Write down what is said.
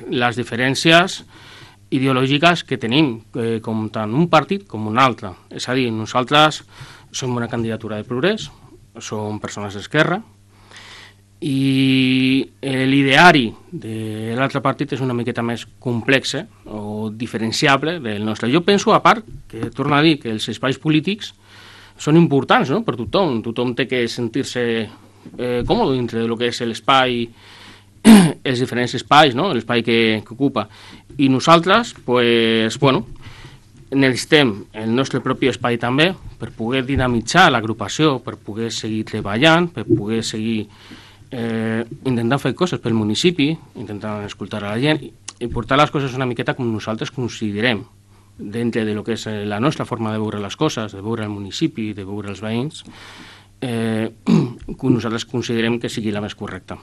les diferències ideològiques que tenim, com tant un partit com un altre. És a dir, nosaltres som una candidatura de progrés, som persones d'esquerra, i l'ideari de l'altre partit és una miqueta més complex o diferenciable del nostre. Jo penso, a part, que torno a dir que els espais polítics són importants, no?, per tothom. Tothom té que sentir-se còmode dintre del que és l'espai, els diferents espais, no?, l'espai que ocupa. I nosaltres, pues, bueno, necessitem el nostre propi espai també per poder dinamitzar l'agrupació, per poder seguir treballant, per poder seguir intentant fer coses pel municipi, intentant escoltar a la gent i portar les coses una miqueta com nosaltres considerem dintre de lo que és la nostra forma de veure les coses, de veure el municipi, de veure els veïns, que nosaltres considerem que sigui la més correcta.